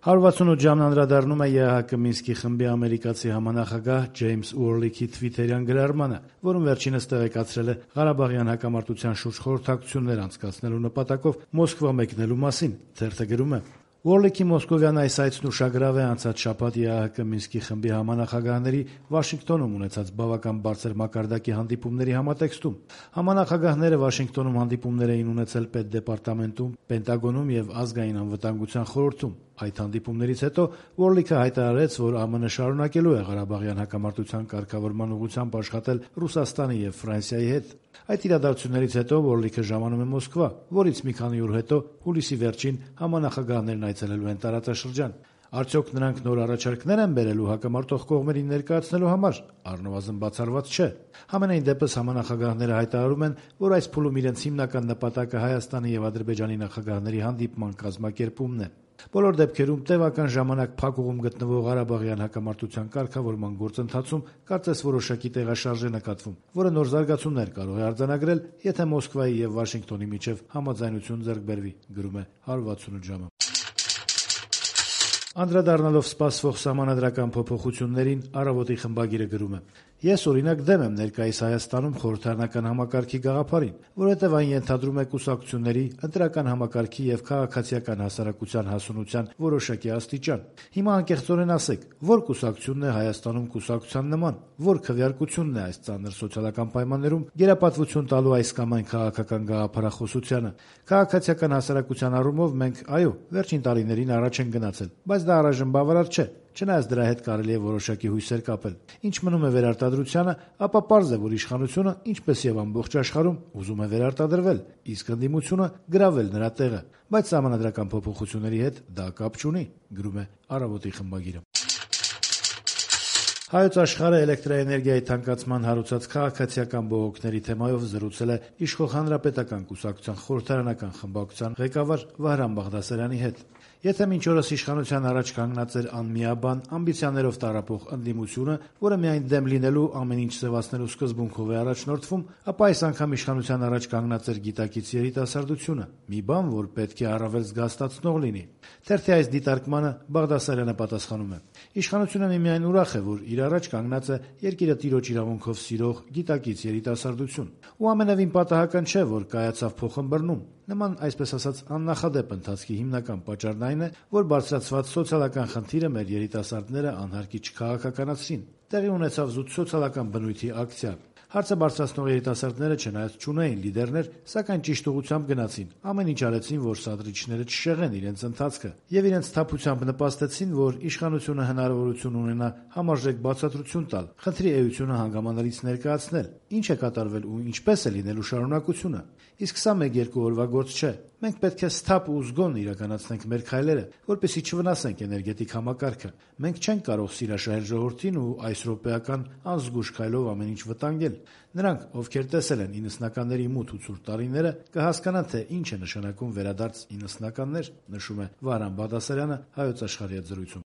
168 ժամն անդրադառնում է ԵԱՀԿ Մինսկի խմբի ամերիկացի համանախագահ Ջեյմս Ուորլիքի թվիթերյան գրառմանը, որում վերջինս տեղեկացրել է Ղարաբաղյան հակամարտության շուրջ խորհրդակցություններ անցկացնելու նպատակով Մոսկվա մեկնելու մասին։ Թերթը գրում է. Ուորլիքի մոսկովյան այս այցն ուշագրավ է անցած շաբաթ ԵԱՀԿ Մինսկի խմբի համանախագահների Վաշինգտոնում ունեցած բավական բարձր մակարդակի հանդիպումների համատեքստում։ Համանախագահները Վաշինգտոնում հանդիպումներ էին ունեցել Պետդեպարտամենտում, Պենտագոնում եւ Ազգային անվտանգության խորհրդում։ Այդ հանդիպումներից հետո Ուորլիքը հայտարարեց, որ ԱՄՆ շարունակելու է Ղարաբաղյան հակամարտության կարգավորման ուղղությամբ աշխատել Ռուսաստանի եւ Ֆրանսիայի հետ։ Այդ իրադարձություններից հետո Ուորլիքը ժամանում է Մոսկվա, որից մի քանի օր հետո հուլիսի վերջին համանախագահներն այցելելու են տարածաշրջան։ Արդյոք նրանք նոր առաջարկներ են բերելու հակամարտող կողմերին ներկայացնելու համար։ Առնվազն բացառված չէ։ Համենայն դեպս համանախագահները հայտարարում են, որ այս փուլում իրենց հիմնական նպատակը Հայաստանի եւ Ադրբեջանի նախագահների հանդիպման կազմակերպումն է։ Բոլոր դեպքերում տևական ժամանակ փակուղում գտնվող Ղարաբաղյան հակամարտության կարգավորման գործընթացում կարծես որոշակի տեղաշարժ է նկատվում, որը նոր զարգացումներ կարող է արձանագրել, եթե Մոսկվայի եւ Վաշինգտոնի միջև համաձայնություն ձեռք բերվի, գրում է 168 ժամը։ Անդրադառնալով սպասվող սահմանադրական փոփոխություններին, Առավոտի խմբագիրը գրում է. Ես օրինակ դեմ եմ ներկայիս Հայաստանում խորհրդարանական համակարգի գաղափարին, որովհետև այն ենթադրում է կուսակցությունների, ընտրական համակարգի եւ քաղաքացիական հասարակության հասունության որոշակի աստիճան։ Հիմա անկեղծորեն ասեք, որ կուսակցությունն է Հայաստանում կուսակցության նման, որ քվեարկությունն է այս ծանր սոցիալական պայմաններում գերապատվություն տալու այս կամ այն քաղաքական գաղափարախոսությանը։ Քաղաքացիական հասարակության առումով մենք, այո, վերջին տարիներին առաջ են գնացել, բայց դա առայժմ բավարար չէ։ Չնայած դրա հետ կարելի է որոշակի հույսեր կապել։ Ինչ մնում է վերարտադրությանը, ապա պարզ է, որ իշխանությունը, ինչպես եւ ամբողջ աշխարհում, ուզում է վերարտադրվել, իսկ ընդդիմությունը գրավել նրա տեղը, բայց սահմանադրական փոփոխությունների հետ դա կապ չունի, գրում է Առավոտի խմբագիրը։ Հայոց աշխարհը էլեկտրաէներգիայի թանկացման հարուցած քաղաքացիական բողոքների թեմայով զրուցել է Իշխող Հանրապետական կուսակցության խորհրդարանական խմբակցության ղեկավար Վահրամ Բաղդասարյանի հետ։ Եթե մինչ օրս իշխանության առաջ կանգնած էր անմիաբան, ամբիցիաներով տառապող ընդդիմությունը, որը միայն դեմ լինելու ամեն ինչ սևացնելու սկզբունքով է առաջնորդվում, ապա այս անգամ իշխանության առաջ կանգնած էր գիտակից երիտասարդությունը, մի բան, որ պետք է առավել զգաստացնող լինի։ Թերթի այս դիտարկմանը Բաղդասարյանը պատասխանում է. Իշխանությունը միմիայն ուրախ է, որ իր առաջ կանգնած է երկիրը տիրոջ իրավունքով սիրող գիտակից երիտասարդություն։ Ու ամենևին պատահական չէ, որ կայացավ փոխըմբռնում։ Նման, այսպես ասած, աննախադեպ ընթացքի հիմնական պատճառն այն է, որ բարձրացված սոցիալական խնդիրը մեր երիտասարդները անհարկի չքաղաքականացրին։ Տեղի ունեցավ զուտ սոցիալական բնույթի ակցիա։ Հարցը բարձրացնող երիտասարդները չնայած չունեին լիդերներ, սակայն ճիշտ ուղղությամբ գնացին, ամեն ինչ արեցին, որ սադրիչները չշեղեն իրենց ընթացքը, եւ իրենց թափությամբ նպաստեցին, որ իշխանությունը հնարավորություն ունենա համարժեք բացատրություն տալ, խնդրի էությունը հանգամանալից ներկայացնել, ինչ է կատարվել ու ինչպես է լինելու շարունակությունը։ Իսկ սա 1-2 օրվա գործ չէ։ Մենք պետք է սթափ ու զգոն իրականացնենք մեր քայլերը, որպեսզի չվնասենք էներգետիկ համակարգը։ Մենք չենք կարող սիրաշահել ժողովրդին ու այս րոպեական անզգույշ քայլով ամեն ինչ վտանգել։ Նրանք, ովքեր տեսել են 90-ականների մութ ու ցուրտ տարիները, կհասկանան, թե ինչ է նշանակում վերադարձ 90-ականներ, նշում է Վահրամ Բաղդասարյանը Հայոց աշխարհի հետ զրույցում։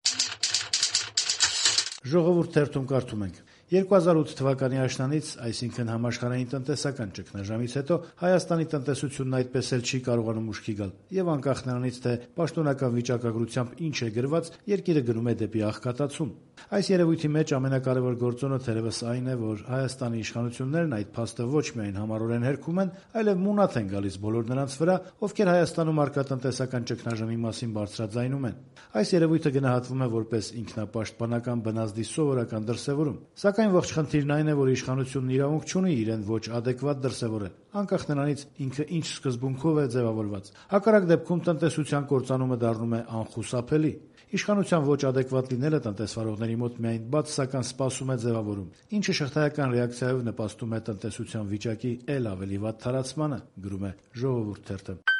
Ժողովուրդ թերթում կարդում ենք. 2008 թվականի աշնանից, այսինքն համաշխարհային տնտեսական ճգնաժամից հետո Հայաստանի տնտեսությունն այդպես էլ չի կարողանում ուշքի գալ, եւ անկախ նրանից, թե պաշտոնական վիճակագրությամբ ինչ է գրված, երկիրը գնում է դեպի աղքատացում։ Այս երևույթի մեջ ամենակարևոր գործոնը թերևս այն է, որ Հայաստանի իշխանություններն այդ փաստը ոչ միայն համառորեն հերքում են, այլև մունաթ են գալիս բոլոր նրանց վրա, ովքեր Հայաստանում արկա տնտեսական ճգնաժամի մասին բարձրաձայնում են։ Այս երևույթը գնահատվում է որպես ինքնապաշտպանական բնազդի սովորական դրսևորում։ Սակայն ողջ խնդիրն այն է, որ իշխանությունն իրավունք չունի իրեն ոչ ադեկվատ դրսևորել, անկախ նրանից ինքը ինչ սկզբունքով է ձևավորված։ Հակառակ դեպքում տնտեսության կործանումը դառնում է անխուսափելի։ Իշխանության ոչ ադեկվատ լինելը տնտեսվարողների մոտ միայն բացասական սպասում է ձևավորում, ինչը շղթայական ռեակցիայով նպաստում է տնտեսության վիճակի էլ ավելի վատ թարացմանը, գրում է Ժողովուրդ թերթը։